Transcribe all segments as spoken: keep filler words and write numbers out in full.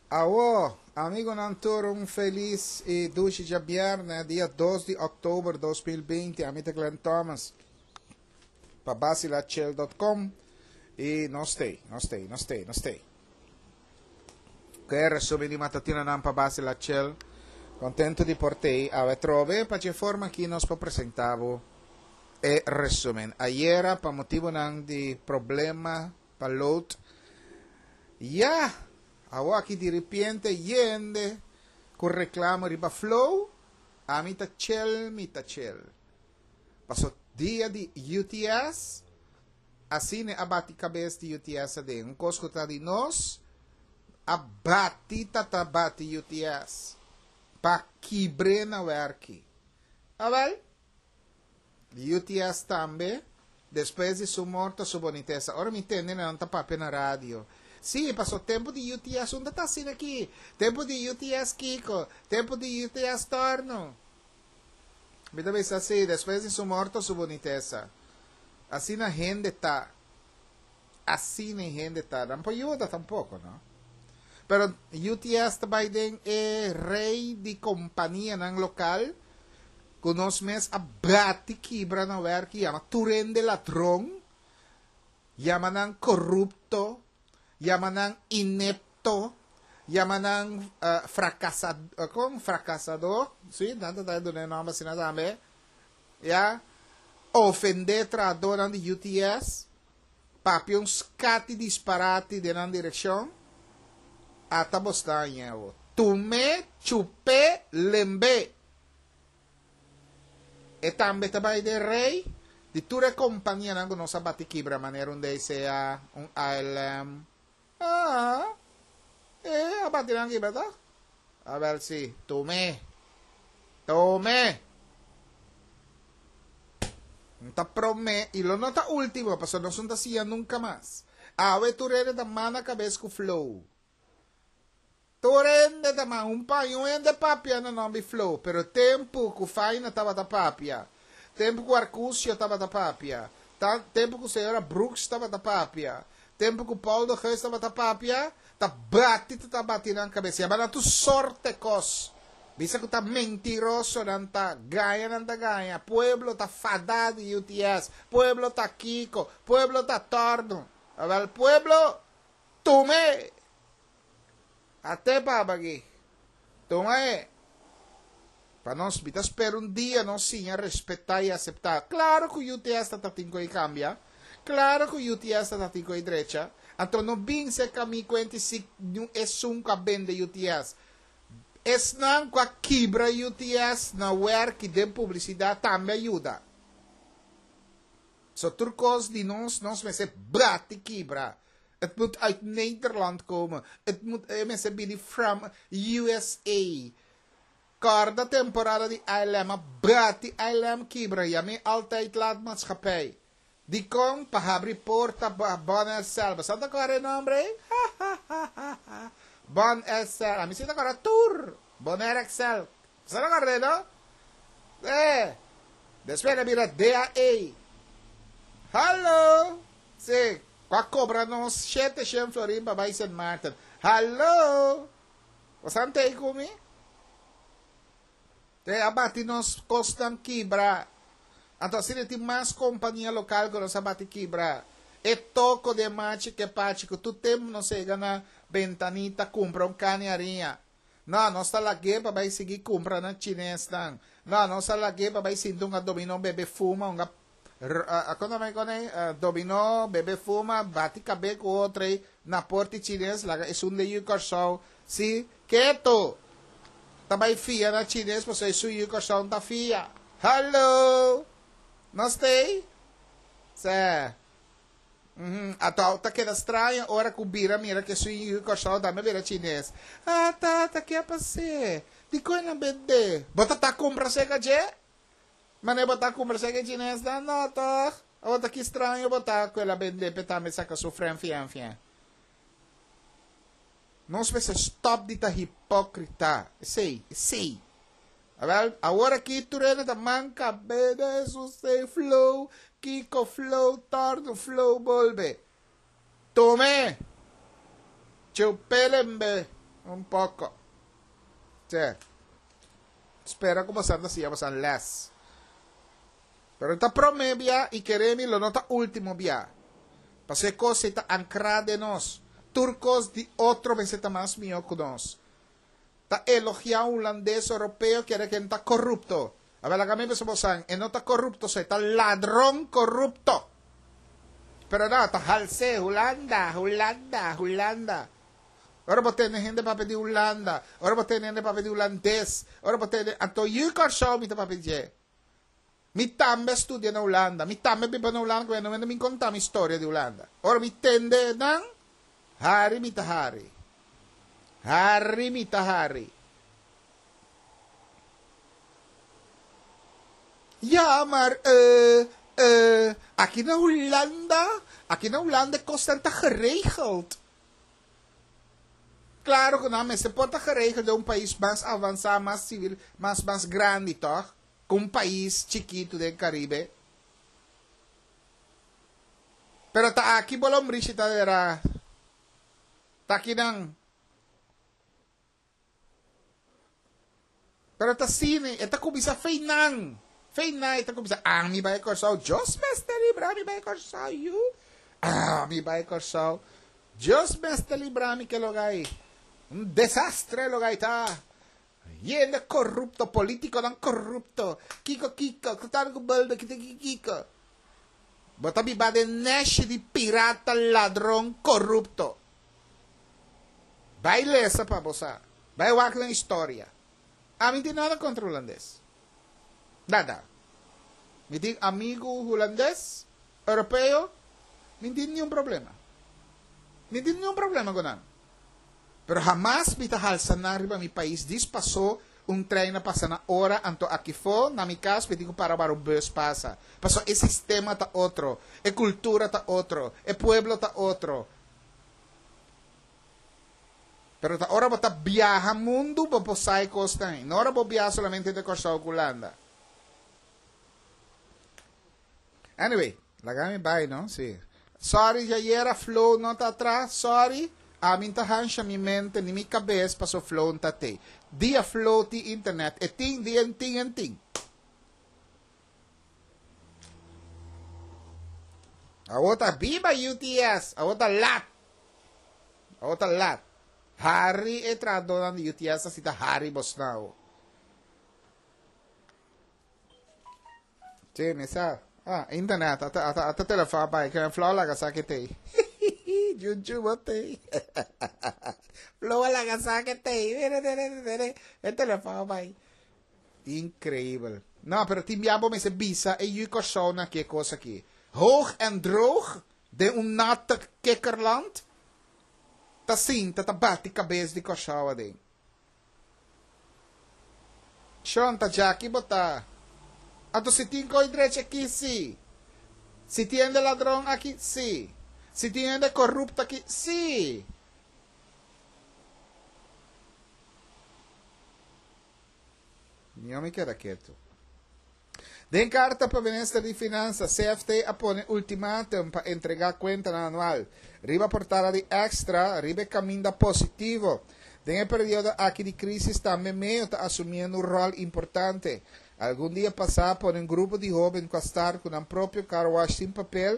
Awo, amigonan tur un felis i dushi djabièrnè, dia dos di òktober dos mil binti. Ami ta Glenn Thomas pa Basilachel dot com i nos t'ei, nos t'ei, nos t'ei, nos t'ei. Ku e resumen di matutinonan pa Basilachel, kontentu di por t'ei awe atrobe. Pa dje forma aki nos por presentá bo e resumen. Ayera pa motibunan di problema pa load, ya! Awor aki diripiente yende ku reklamo riba Flow, ami ta chel mi ta chel. Paso dia di U T S, asina a bati kabes di U T S aden. Un kos ku ta di nos, a bati ta ta bati U T S. Pa kibr'é na wèrki. Awèl, U T S tambe, despues di su morto su bonitesa. Ora mi tende nan ta papia na radio. Sí, paso tempu di U T S unda ta asina aki. Tempu di U T S kiko. Tempu di U T S torno. Mi ta bisa sí, despues di su morto su bonitesa. Asina hende ta. Asina hende ta. Nan por yuda tampoko, no? Pero U T S ta bai den e rei di kompanianan lokal ku nos mes a bati kibra na wèrki, yama tur hende ladron, yama nan korupto, yama nan inepto, yama nan uh, fracasad, uh, kon frakasadó, sí, nan ta duna e nòmber asina tambe, ya, ofendé trahadónan di U T S, papia un skati disparati den nan direkshon, ata bo sta aña. Tum'é, chup'é, lemb'é. E tambe ta bai den rei di tur e kompanianan ku nos a bati kibra manera un D C A, un A L M. Ah, e a bati nan kibra ta? A ber si, tum'é. Tum'é. No ta promé i lo no ta último, pasobra nos no ta siña nunka mas. Awe tur hende ta mana kabes ku Flow. Tur hende ta man un paña un hende papia na nomber Flow, pero tempu ku Faina tabata papia, tempu ku Arcusio tabata papia, ta, tempu ku señora Brooks tabata papia, tempu ku Paul de Geus tabata papia, ta bati ta bati nan kabes. Yama nan tur sorte kos. Bisa ku ta mentiroso nan ta, gaña nan ta gaña, pueblo ta fadá di U T S, pueblo ta kiko, pueblo ta torno. Awèl pueblo, tum'é! Ate papa aki. Tuma e. Pa nos, mi ta spera un dia nos siña respetá i aseptá. Klaro ku U T S ta tin ku kambia. Klaro ku U T S ta tin ku drecha. Anto no bin serka mi kuenta si esun ku a bende U T S. Esnan ku a kibra U T S na wèrki den publisidat tambe a yuda. So tur kos di nos, nos mester bati kibra. Het moet uit Nederland komen. Het moet eh, mester bini from U S A. Kòrda temporada di A L M, a bati A L M kibra. Yam'é Altijd Laat Maatschappij. Dikon pa habri porta pa Bon X L. Bo ta kòrda e nòmber ei? Bon X L. Ami si ta kòrda tur. Bonaire X L. Bo ta kòrda, no? Eh. Despues el a bira D A E. Hallo. Sí. Ku a kobra nos shete shen florin pa bai Sint Maarten. Hallo. Bo t'ei ku mi? Te a bati nos kosnan kibra. Anto asina tin mas kompania lokal ku nos a bati kibra. E toko de machi ke pachi ku tur tempu nos yega na Bentanita kumpra un kani hariña. No, nos ta lag'é pa bai sigui kumpra na chinesnan. No, nos ta lag'é pa bai sinta un dominó bebe fuma, un kon ta kon dominó, bebe fuma, bati kabes ku otro na porta chines, laga esun di yu Kòrsou. Si, keto. Ta bai fia na chines, pasobra esun yu Kòrsou ta fia. Hallo. Nos t'ei? Sè. Uhum. Ato ta keda straño ora ku bira mira ku esun yu Kòrsou tambe bira chines. Ah, tata, kiko a pasa? Dikon el a bende? Bo ta kumpra serka dje? Mane bo ta kumpra serka chines? No, no, toch? O ta ki straño bo ta ku el a bende pe tambe saka su fren fian fian. Nos mester stòp di ta hipókrita. Sei, sei. Awèl, awor aki tur hende ta manka bebe su sei Flow, kiko Flow, torno Flow bolbe. Tum'é. Chup'é lembe. Un poko. Che. Spera ku boso ta siña boso les. Pero ta promé bia i kere mi lo no ta último bia. Pasobra e kos ei ta ankrá den nos. Tur kos di otro mester ta mas mihó ku nos. Ta elogiá un hulandes oropeo kere ku e no ta korupto. Awel laga mi bisa bosan, e no ta korupto so, e ta ladron korupto. Pero no, ta hals'é, Hulanda, Hulanda, Hulanda. Ora bo tende hende papia di Hulanda, ora bo tende hende papia di hulandes, ora bo tende, anto yu Kòrsou mi ta papia di dje. Mi tambe a studia na Hulanda, mi tambe a biba na Hulanda, ku no mende mi konta mi storia di Hulanda. Ora mi tende nan, hari mi ta hari. Hari mi ta hari. Ja, maar eh, eh, aki na Hulanda, aki na Hulanda e kosnan ta geregeld. Claro cu nan mester por ta geregeld den un pais mas avansa, mas civil, mas mas grandi toch, cu un pais chikito den Caribe. Pero ta aki bo lombrishi ta dera. Ta aki nan. Pero ta asina, e ta cuminsa fei nan. Fei nan e ta cuminsa, ami bai Corsou, Dios mester libra mi bai Corsou, yu. Ami bai Corsou. Dios mester libra mi ke loga ei. Un desastre loga ei ta. Yende corrupto, politiconan corrupto. Kiko kiko, ku tal ku bulbe, kiko kiko. Bo ta biba den neshi di pirata, ladron, corrupto. Bai lesa pa bo sa. Bai wak nan historia. Ami tin nada kontra hulandes. Nada. Mi tin amigu hulandes, europeo, mi tin niun problema. Mi tin niun problema ku nan. Pero hamas mi ta halsa nan riba mi pais dis paso un trein a pasa na ora anto akifo na mi kas mi tin ku para wara un bus pasa. Paso e sistema ta otro, e kultura ta otro, e pueblo ta otro. Pero ta ora bo ta biaha mundu bo por sa e kosnan ei. No ora bo biaha solamente entre Kòrsou ku Hulanda. Anyway, laga mi bai no, si. Sorry djayera Flow no ta atras, sorry. Ami n'ta hansha mi mente ni mi kabes paso Flow n'ta tei. Dia Flow tin internet, e tin, dia n'tin, e n'tin. Awor ta biba U T S, awor ta lat. Awor ta lat. Hari e trahadónan di U T S a sita hari bosnan awor. Sí, mi sa. Ah, internet, ata, ata, ata telefon bai, que Flo laga sa que tei. Junju bo tei. Flo laga sa que tei. Mire, mire, mire, e telefon bai. Increíbel. No, pero tin bia bo mester bisa e yu Kòrsou na ki e kos aki. Hoog en droog den un natte kikkerland ta sinta ta bati kabes di Kòrsou aden. Shon, ta djaki bo ta. Anto si tin ko'i drecha aki, si. Si tin hende ladron aki, si. Si tin hende korupto aki, si. Mihó mi keda ketu. Den karta pa Minister di Finansa, C F T a pone ultimatum pa entregá kuentanan anual. Riba portada di Extra, riba e kaminda positivo. Den e periodo aki di krísis tambe Meo ta asumiendo un ròl importante. Algun dia pasá a pone un grupo di hóben ku a start ku nan propio car wash sin papel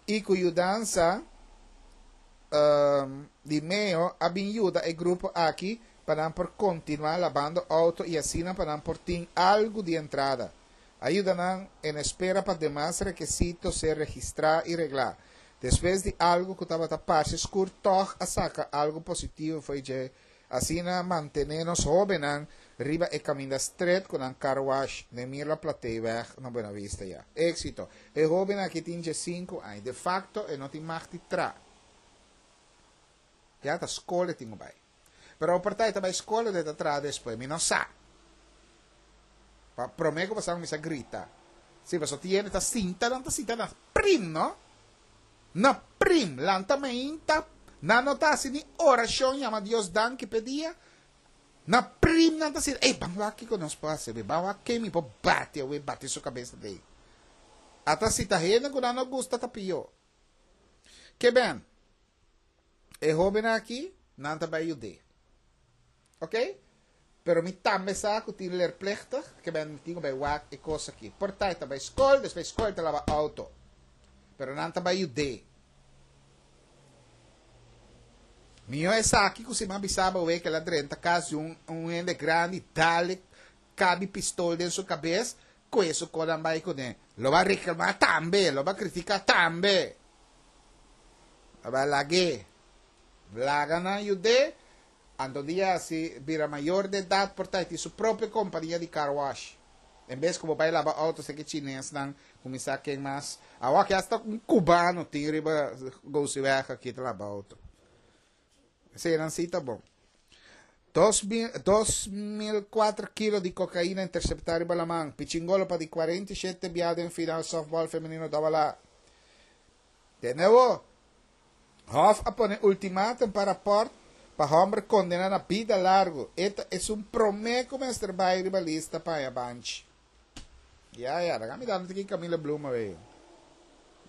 i ku yudansa di Meo a bin yuda e grupo aki pa nan por kontinuá labando outo i asina pa nan por tin algu di entrada. A yuda nan en espera pa demas rekesito ser registrá i reglá. Despues di algu ku tabata parse skur tòg a saka algu positivo fo'i dje. Asina mantené nos hóbennan riba e kaminda stret ku nan car wash den Mirla Plateeweg na Buena Vista ya. Éksito! E hóben aki tin diesinku aña. De fakto e no tin mag di tra. Ya ta skol e tin ku bai. Pero oporta e ta bai skol o e ta traha despues, mi no sa. Pa prome ku pasaba mi sa grita. Si, pasobra tin hende ta sinta, nan ta sinta na prim, no? Na prim, lanta mainta, nan no ta hasi ni orashon yama Dios danki p'e dia. Na prim nan ta sinta, ey, ban wak kiko nos por hasi, ban wak ken mi por bati awe, bati su kabes adei. Ata si ta hende ku nan no gusta ta pió. Ke ben, e hóben aki, nan ta bai yud'é. Ok? Pero mi tambe sa ku tin leerplichtig, ku ben tin bai wak e kos aki. Por ta ta bai skol, despues skol ta laba auto. Pero nan ta bai yude. Mihó esaki ku siman bisaba we ku el a drenta kas di un un hende grandi dale kabi pistol den su kabes, ku eso konan bai kuné. Lo ba reklamá tambe, lo ba kritiká tambe. Lo ba lag'é. Laga nan yud'é. Anto dia si bira mayor de edat por ta e tin su propio kompania di car wash. En bes ku bo bai laba outo seki chinesnan kuminsá ken mas. Awor aki hasta un kubano tin riba Gosiweg aki ta laba outo. Eseinan si ta bon. Dos mil dos mil kuater kilo di kokaina interseptá riba laman. Pichingolo pa di kuarenta i shete bia den final softball femenino Dòbala. Tende awor. Hof a pone ultimatum pa raport pa homber condena na bida largo. E ta esun prome cu mester bay riba lista pa haña banchi. Ya ya, laga mi dando tiki Camila Bloem awey.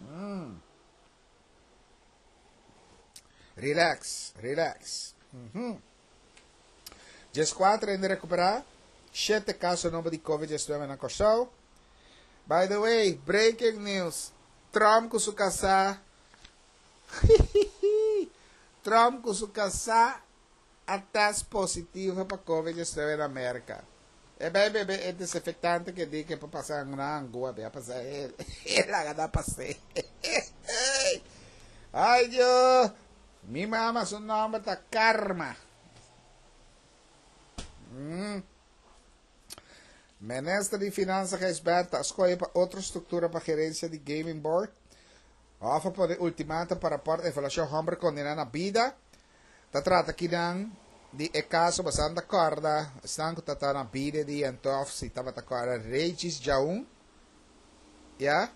Mm. Relax, relax. Mm -hmm. Dieskuater hende recupera, shete caso nobo di covid diesnuebe na Kòrsou. By the way, breaking news, Trump cu su casá Trump ku su kasá a test positivo pa covid diesnuebe na Merka. E bai bebe e desinfectante ke di ke por pasa na angua be a pasa el e laga na pas'é. Ay Dios! Mi mama su nomber ta Karma. Mm. Minister di Finansa Gijsbertha a skohe pa otro struktura pa gerensia di Gaming Board. Hof a pone ultimatum pa raport evaluashon homber kondená na bida. Ta trata kinan di e kaso basan ta kòrda esnan ku ta ta na bida di entof si tabata kòrda Regis Djaun, ya.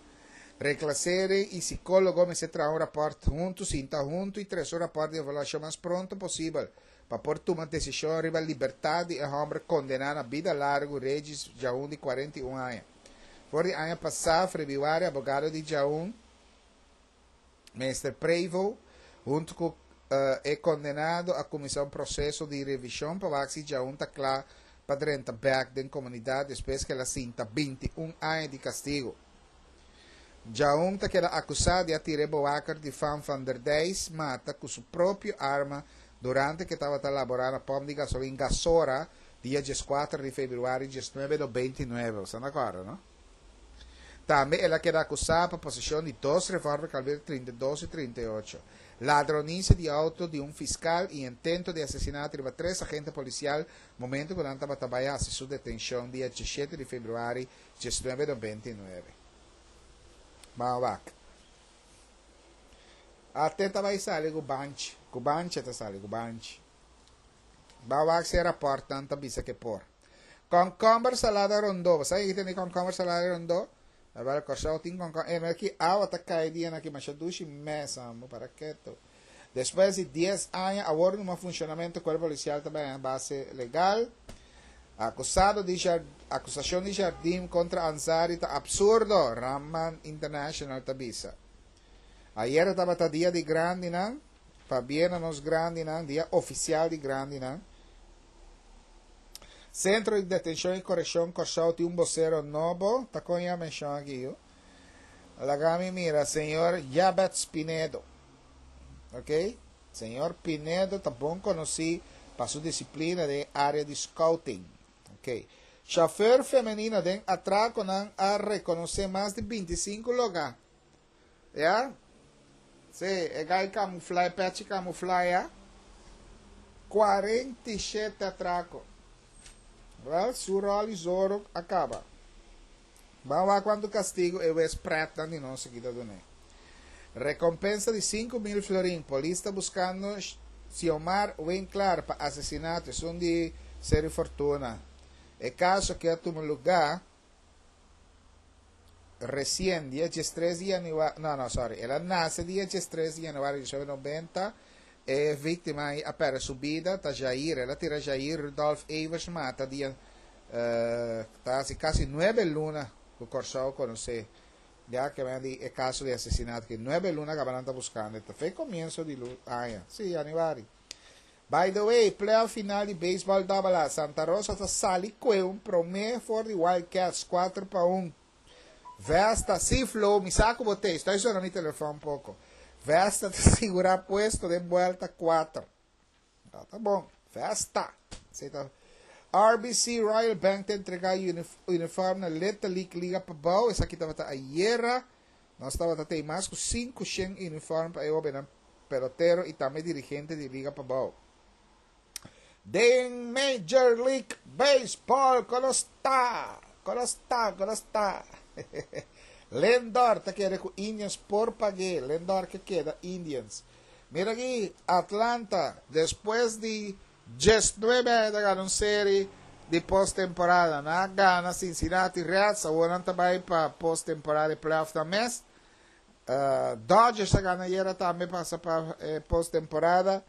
Reklasering i sikólogo mester traha un rapòrt huntu, sinta huntu i trese un rapòrt di evaluashon mas pronto posibel pa por tuma desishon riba libertat di e hòmber kondená na bida largu Regis Djaun di kuarenta i un aña. For di aña pasá febrüari abogado di Djaun, Meester Prevo, huntu ku e kondenado a kuminsá un proseso di revishon pa wak si Djaun ta kla pa drenta bèk den komunidat despues ku el a sinta binti un aña di kastigu. Djaun ta keda akusá di a tira e bowaker di Van van der Dijs mata ku su propio arma durante ku e tabata laborá na pòmp di gasolin Gasora dia dieskuater di febrüari diesnuebe nobenta i nuebe. Bo sa na kòrda, no? Tambe el a keda akusá pa poseshon di dos revòlver kaliber trinta i dos i trinta i ocho, ladronisia di outo di un fiskal i intento di asesinato riba tres agente polisial momento ku nan tabata bai hasi su detenshon dia diesshete di febrüari diesnuebe nobenta i nuebe. Ban wak. Ate ta bai sali ku banchi. Ku banchi e ta sali, ku banchi. Ban wak si e rapòrtnan ta bisa ke por. Kònkòmber salada rondó. Bo sa ke tene kònkòmber salada rondó? Awor Kòrsou tin kònkòmber. E mira ki awa ta kai dia aki masha dushi mes amo para keto. Despues di dies aña awor numa funshonamentu kuerpo polisial ta bai base legal. Akusado di akusashon di Jardim kontra Ansari ta absurdo, Raman International ta bisa. Ayera tabata dia di grandinan, pabia na nos grandinan, dia ofisial di grandinan. Sentro di Detenshon i Korekshon Kòrsou tin un bosero nobo, ta kon ya menshon aki yu. Laga mi mira, señor Jabets Pinedo. Ok, señor Pinedo ta bon konosí pa su disiplina den e área di scouting. Ok. Chauffeur femenino den atrakonan a rekonosé mas di binti sinku logá. Ya? Sí, e gai kamuflá, e pèchi kamuflá ya. Kuarenta i shete atrako. Wèl, su ròl i zoro a kaba. Ban wak kuantu kastigu e wes prètnan di nos aki ta dun'é. Rekompensa di sinku mil florin. Polis ta buskando Xiomar Winklaar pa asesinato, esun di Seri Fortuna. E kaso aki a tuma lugá resien, dia diestres di yanüari, no, no, sorry, el a nase dia diestres di yanüari di diecinuebe nobenta. E víktima ei a pèrdè su bida, ta Jair. El a tira Jair Rudolf Evers mata dia, ta hasi kasi nuebe luna ku Kòrsou konosé ya ke men di e kaso di asesinato aki. Nuebe luna kaba nan ta buskando. E ta fe komienso di aña, sí, yanüari. By the way, playoff final di baseball Double A. Santa Rosa ta sali ku un promé for di Wildcats kuater pa un. Vesta, si Flow, mi sa ku bo t'ei, ta sona mi telefòn poko. Vesta ta sigurá puesto den buelta kuater. Ah, ta bon. Vesta. Ta. R B C Royal Bank ta entregá uniform na Little League Liga Pabou. Esaki tabata ayera. Nos tabata tin mas ku sinku uniform pa e pelotero i tambe dirigente di Liga Pabou. Den Major League Baseball, kon ta? Kon ta? Kon ta? Lindor ta kere ku Indians por pag'é. Lindor ke keda Indians. Mira aki, Atlanta, despues di diesnuebe a gana un serie di posttemporada. Nan a gana Cincinnati Reds, awor nan tambe pa posttemporada, playoff tambe. Uh, Dodgers a gana ayera tambe, pasa pa eh, posttemporada.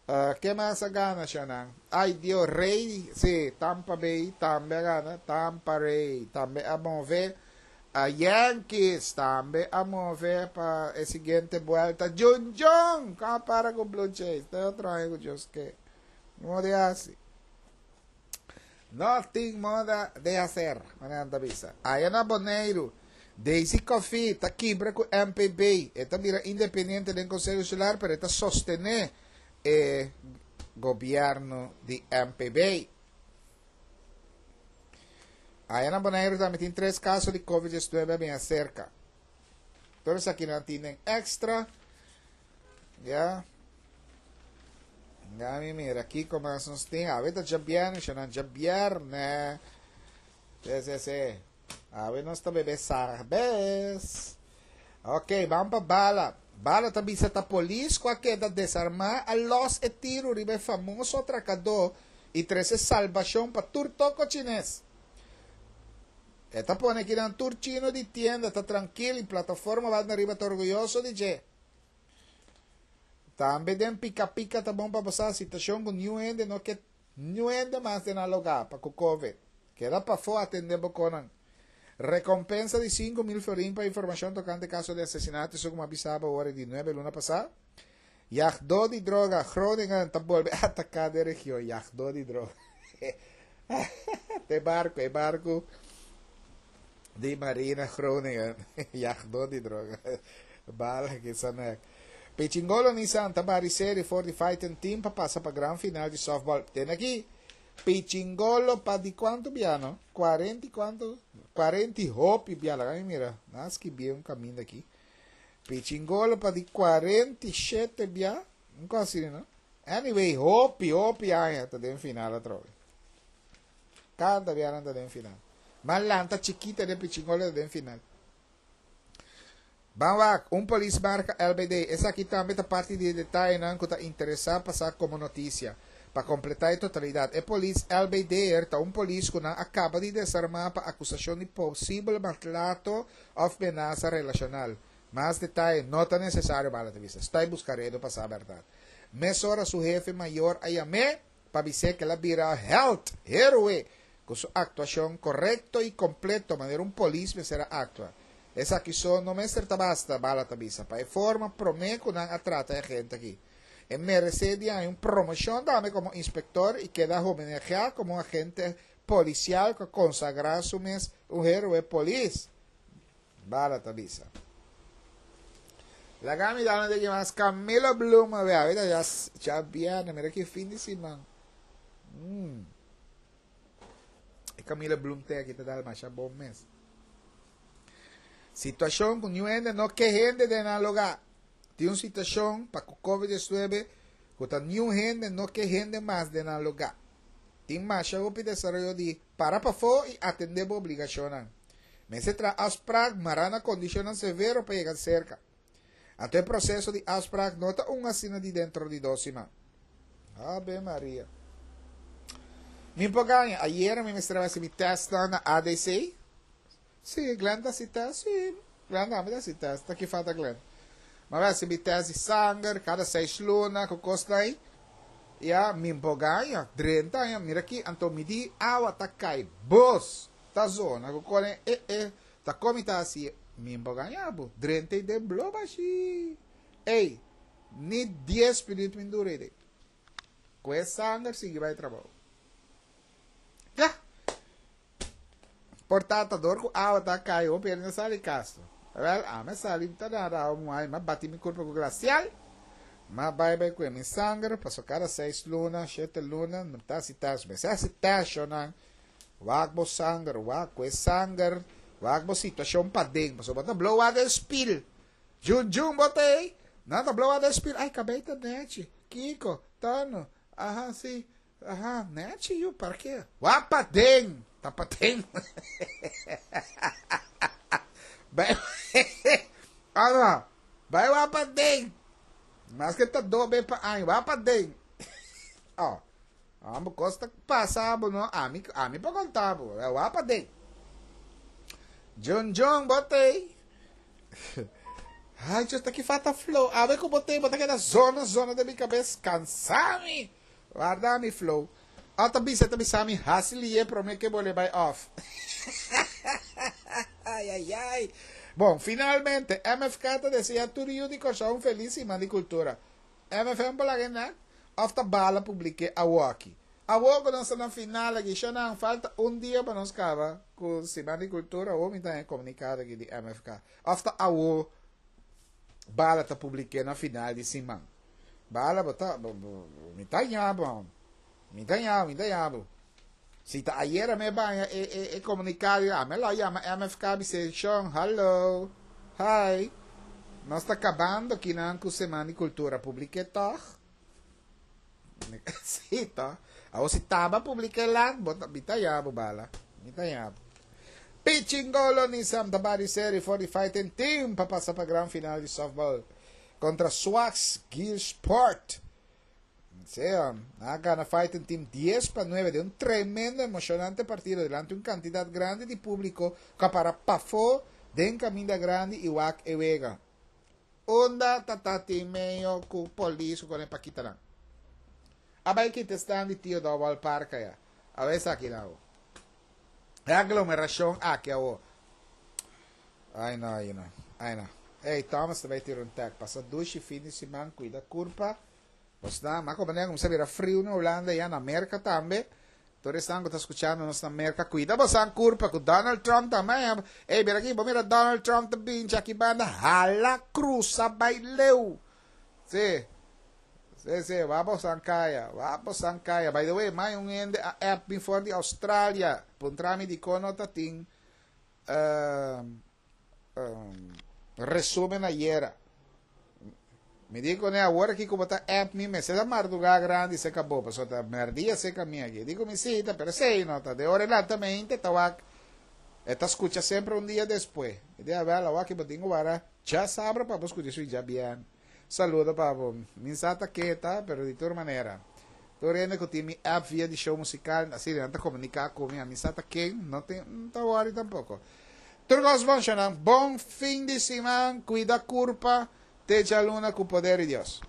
Uh, ken mas a gana, Xanan? Ai, Dios, Ray, si, Tampa Bay tambe a gana. Tampa Bay tambe a move. A Yankees tambe a move pa e siguiente buelta. Jun Jun, para ku Blue Jays. Tin otro amigu Dios ke. No di asina. No tin moda di hasi, manera bisa. Aya na Boneiru, Daisy Coffie ta kibra ku M P B. E ta bira independiente den Konseho Insular, pero e ta sostené e gobièrnu di M P B. Aya na Boneiru tambe tin tres kaso di COVID diesnuebe bin serka. Anto, aki nan tin Extra. Ya. Ya mi mira aki kon nos tin. Awe ta djabièrnè, ya djabièrnè. Si, si, si. Awe nos ta bebe sarbes. Ok, ban pa Bala. Bala ta bisa ta polis ku a keda desarmá a los e tiru riba e famoso atrakadó i trese salbashon pa tur toko chines. E ta pone ku nan tur chino di tienda ta trankil i Plataforma Banda Ariba ta orguyoso di dje. Tambe den pika pika ta bon pa pasa situashon ku niun hende no ke niun hende mas den lugá pa ku COVID. Keda pafó atendé bo kosnan. Rekompensa di sinku mil florin pa informashon tokante kaso di asesinato, esei ku a avisá awor di nuebe luna pasá. Yagdó di droga, Groningen, ta bolbe ataká e region. Yagdó di droga. E barku, e barku di Marina Groningen. Yagdó di droga. Bala ku sanek. Pichingolo Nissan ta bari serie for di fighting team pa pasa pa gran final di softball. Tin aki. Pichingolo pa di kuantu bia, no? kuarenta i kuantu? kuarenta i hopi bia. Mira, nan a skirbi un kaminda aki. Pichingolo pa di kuarenta i shete bia. No konsigo, no? Anyway, hopi, hopi aña ta den final atrobe. Kada bia ta den final. Mas lanta chikita de Pichingolo ta den final. Ban wak, un polis marka L B D. Esaki tambe ta parti di detayenan ku ta interesá pasa komo notisia. Pa kompletá e totalidat, e polis L B D ta un polis ku nan a kaba di desarmá pa akusashon di posibel maltrato òf menasa relashonal. Mas detaye no ta nesesario pa vista. Ta buska redu pa sa berdat. Mesora su hefe mayor a yam'é pa bisa ku el a bira held, héroe, ku su aktuashon korekto i kompleto, manera un polis mester aktua. Esaki so no mester ta basta, Bala ta bisa. Pa e forma promé ku nan a trata e agente aki. E meresé di un promoshon tambe komo inspektor i keda homenaheá komo un agente polisial ku konsagrá su mes un héroe polis. Bala ta bisa. Laga mi dal di mas Camila Bloom, a ber, ya ya bièrnè, mira ki fin di siman. Hum. E Camila Bloom tin aki ta dal mas bon mes. Situashon ku niun hende no ke hende den lugá. Tin un situashon pa COVID diesnuebe ku ta niun hende no ke hende mas den lugá. Tin mas hopi desaroyo di para pafó i atendé obligashon. Mester traha afspraak mará na kondishon severo pa yega serka. Anto e proseso di afspraak no ta un asina di denter di dos siman. Ave Maria. Mi por gaña, ayera mi mester a hasi mi test na A D C. Si, Glenn ta test, si. Glenn ta hasi test, ta ki falta Glenn. Mas bai hasi mi test di sanger, kada seis luna, ku kos ei. Ya, mi por gaña, trinta aña, mira aki, anto mi di awa ta kai, bos, ta zona, ku kore, e, e, ta komi ta asina, mi por gaña, bo, trinta i den blo bashi. Ei, ni dies minüt mi dura ei. Kue sanger sigui bai trabou. Ya. Por ta ta dor ku awa ta kai hopi hende no sali kas. Wèl, ami a sali ta nada awa muhá i m'a bati mi kurpa ku glasial. M'a bai bai kue mi sanger pasobra kada seis luna, shete luna, mi ta hasi tèst. Mester hasi tèst, shonnan. Wak bo sanger, wak kue sanger, wak bo situashon paden pasobra bo ta blow wak den spil. Jun jun bo ta ei, nan ta blow wak den spil. Ai, kabei ta nèchi. Kiko? Tono? Aha, si. Aha, nèchi yu, parke? Wak paden! Ta paden. Bai, ano, bai wak paden. Maske ta dobe pa aña, wak paden. Oh, amo kos ta pasa bo no, ami, ami por konta bo, wak paden. Jun Jun, bo t'ei? Ai, Dios, ta ki falta flow. Awe ku bo t'ei, bo ta keda zona, zona den mi kabes. Kansa mi. Warda mi flow. A ta bisa, ta bisa mi, hasi lié promé ke bo le bai off. Ai, ai, ai. Bon, finalmente, M F K ta desea tur yu di Kòrsou un felis siman di kultura. M F M por laga e nek? Òf ta bala publik'é awoki? Awor ku nos ta na final aki, shonnan, falta un dia pa nos kaba ku siman di kultura, awor mi ta haña komunikado aki di M F K. Òf ta awor bala ta publik'é na final di siman? Bala, bo ta, bo, bo, mi ta haña bo. Mi ta haña, mi ta haña bo. Si ta ayera mi baña e, e, e komunikado, ami lo yama M F K bis'é, "Shon, hallo, hi, nos ta kabando akinan ku Siman di Kultura, publik'é toch?" Si, toch? Awor si taba publik'é lat, bo ta, mi ta haña bo, bala. Mi ta haña bo. Pichingolo Nissan ta bari seri for di fighting team pa pasa pa gran final di softball kontra Swax Gear Sport. Sea, a gana fighting team dies pa nuebe den un tremendo emoshonante partido delante un kantidat grandi di públiko ku para pafó den kaminda grandi i wak e wega. Unda tata meio ku polis ku pa kita. Abai kita stand di Tio Dowal Park ya. A ver aki nou. E aglomerashon aki awo. Ai no, ai no. Ai no. Hey, Thomas tambe tira un tag. Pasa dushi fin di siman, kuida kurpa. Basta, ma komo ku bira friu na Hulanda i na Amérika tambe. Tur esnan ku ta skuchando nos na Amérika, kuida bo kurpa ku Donald Trump tambe. Ei, mira aki, mira Donald Trump tambe aki banda hala krusa bai leu. Si. Si, si, vamos kaya, vamos kaya. By the way, mai un hende a app mi for di Australia. Puntra mi di kon no tatin uh, um, resumen ayera. Mi di kuné, awor aki komo ta app mi, me se mardugá grandi se akabó, paso ta mèrdia se kaminda aki. Digo mi cita, pero sei no ta de ora lentamente ta wak ta skucha semper un dia despues. I di awèl, awor aki bo tin ku djasabra pa skucha esei djabièrnè. Saludo pa bo. Mi sa ta keta, pero di tur manera. Tur hende ku tin mi app via di show musikal, asina, nan ta komuniká ku mi, mi sa ta ken, no tin, no ta worry tampoko. Tur kos bon, bon fin di siman, kuida kurpa, te djaluna ku poder di Dios.